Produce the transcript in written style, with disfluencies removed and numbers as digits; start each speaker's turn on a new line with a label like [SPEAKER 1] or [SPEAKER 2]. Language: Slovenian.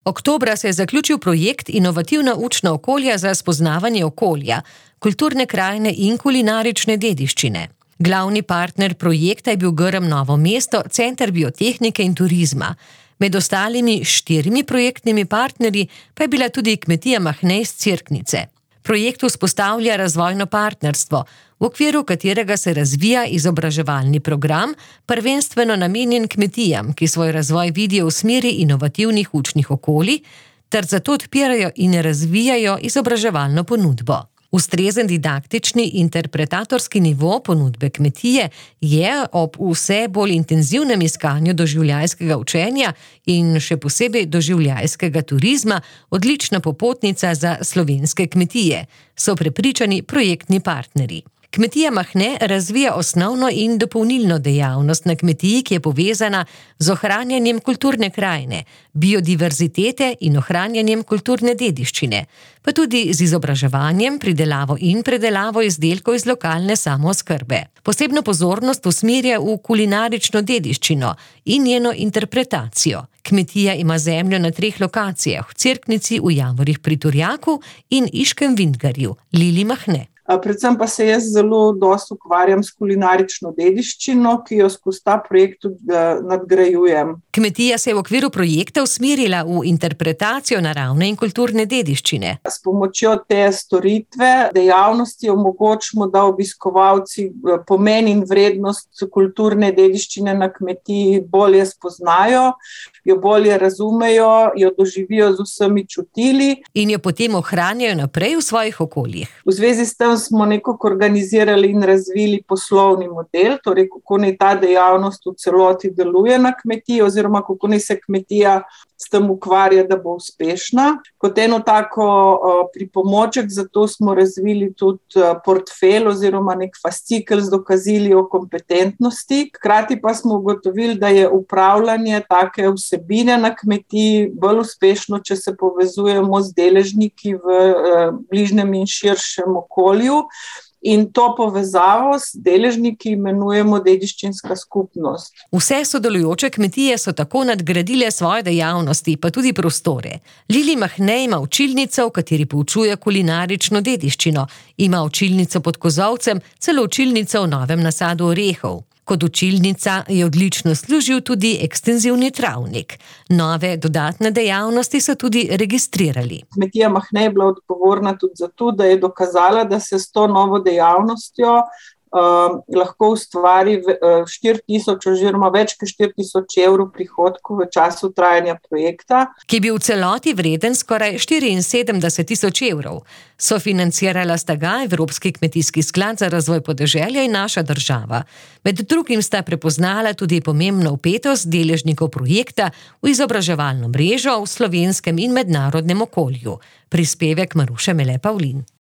[SPEAKER 1] Oktobra se je zaključil projekt Inovativna učna okolja za spoznavanje okolja, kulturne krajine in kulinarične dediščine. Glavni partner projekta je bil Grm Novo mesto, Center biotehnike in turizma. Med ostalimi 4 projektnimi partnerji pa je bila tudi kmetija Mahne iz Cerknice. Projekt vzpostavlja razvojno partnerstvo, v okviru katerega se razvija izobraževalni program, prvenstveno namenjen kmetijam, ki svoj razvoj vidijo v smeri inovativnih učnih okolij, ter zato odpirajo in razvijajo izobraževalno ponudbo. Ustrezen didaktični interpretatorski nivo ponudbe kmetije je ob vse bolj intenzivnem iskanju doživljajskega učenja in še posebej doživljajskega turizma odlična popotnica za slovenske kmetije, so prepričani projektni partnerji. Kmetija Mahne razvija osnovno in dopolnilno dejavnost na kmetiji, ki je povezana z ohranjanjem kulturne krajine, biodiverzitete in ohranjanjem kulturne dediščine, pa tudi z izobraževanjem, pridelavo in predelavo izdelkov iz lokalne samooskrbe. Posebno pozornost usmerja v kulinarično dediščino in njeno interpretacijo. Kmetija ima zemljo na 3 lokacijah, v Cerknici, v Javorih pri Turjaku in Iškem Vintgarju, Lili Mahne.
[SPEAKER 2] Predvsem pa se jaz zelo dosti ukvarjam s kulinarično dediščino, ki jo skozi ta projekt tudi nadgrajujem.
[SPEAKER 1] Kmetija se je v okviru projekta usmerila v interpretacijo naravne in kulturne dediščine.
[SPEAKER 2] S pomočjo te storitve dejavnosti omogočimo, da obiskovalci pomen in vrednost kulturne dediščine na kmetiji bolje spoznajo, jo bolje razumejo, jo doživijo z vsemi čutili.
[SPEAKER 1] In jo potem ohranjajo naprej v svojih okoljih.
[SPEAKER 2] V zvezi s tem smo nekako organizirali in razvili poslovni model, torej kako naj ta dejavnost v celoti deluje na kmetiji oziroma kako naj se kmetija s tem ukvarja, da bo uspešna. Kot eno tako pripomoček za to smo razvili tudi portfelj oziroma nek fascikel z dokazili o kompetentnosti. Hkrati pa smo ugotovili, da je upravljanje take vsebine na kmetiji bolj uspešno, če se povezujemo z deležniki v bližnjem in širšem okolju. In to povezavo s deležniki imenujemo dediščinska skupnost.
[SPEAKER 1] Vse sodelujoče kmetije so tako nadgradile svoje dejavnosti, pa tudi prostore. Lili Mahne ima učilnico, v kateri poučuje kulinarično dediščino. Ima učilnico pod Kozolcem, celo učilnico v Novem Nasadu orehov. Kot učilnica je odlično služil tudi ekstenzivni travnik. Nove dodatne dejavnosti so tudi registrirali.
[SPEAKER 2] Kmetija Mahne je bila odgovorna tudi za to, da je dokazala, da se s to novo dejavnostjo lahko ustvari 4.000 oziroma več kot 4.000 evrov prihodkov v času trajanja projekta.
[SPEAKER 1] Ki je bil v celoti vreden skoraj 74.000 evrov. Sofinancirala sta ga Evropski kmetijski sklad za razvoj podeželja in naša država. Med drugim sta prepoznala tudi pomembno vpetost deležnikov projekta v izobraževalno mrežo v slovenskem in mednarodnem okolju. Prispevek Maruše Mele Pavlin.